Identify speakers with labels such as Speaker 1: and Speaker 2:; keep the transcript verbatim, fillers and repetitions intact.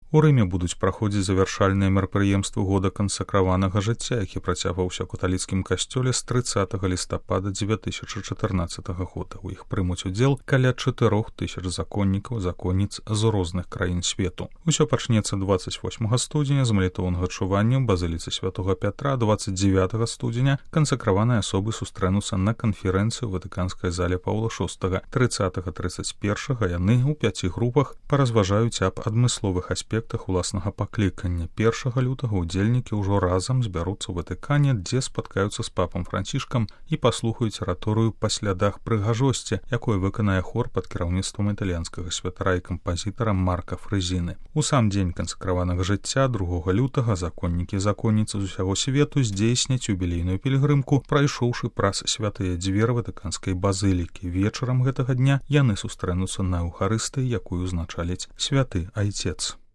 Speaker 1: У Рыме будуць праходзіць завяршальныя мерапрыемствы года кансакраванага жыцця, які працягваўся ў каталіцкім касцёле з трыццатага лістапада дзве тысячы чатырнаццатага года. У іх прымуць удзел каля чатырох тысяч законнікаў, законніц з розных краін свету. Усё пачнецца дваццаць восьмага студзеня з малітоўнага чування ў базыліцы святога Пятра, дваццаць дзевятага студзеня кансакраваныя асобы сустрэнуцца на канферэнцыі ў ватыканскай зале Паўла шостага. трыццатага трыццаць першага яны ў пяці групах паразважаюць аб адмысловых аспектах уласнага паклікання. Першага лютага удзельнікі ўжо разам збяруцца ў Ватыкане, дзе спаткаюцца з папам Францішкам і паслухаюць араторыю па слядах прыгажосці, якое выканае хор пад кіраўніцтвам італьянскага святара і кампазітара Марка Фрэзіны. У сам дзень кансакраванага жыцця другога лютага законнікі і законніцы з усяго свету здзейсняць юбілейную пілігрымку, прайшоўшы праз святыя дзверы ватыканскай базылікі. Вечарам гэтага дня яны сустрэнуцца на Еўхарыстыі, якую ўзначаліць святы айцец.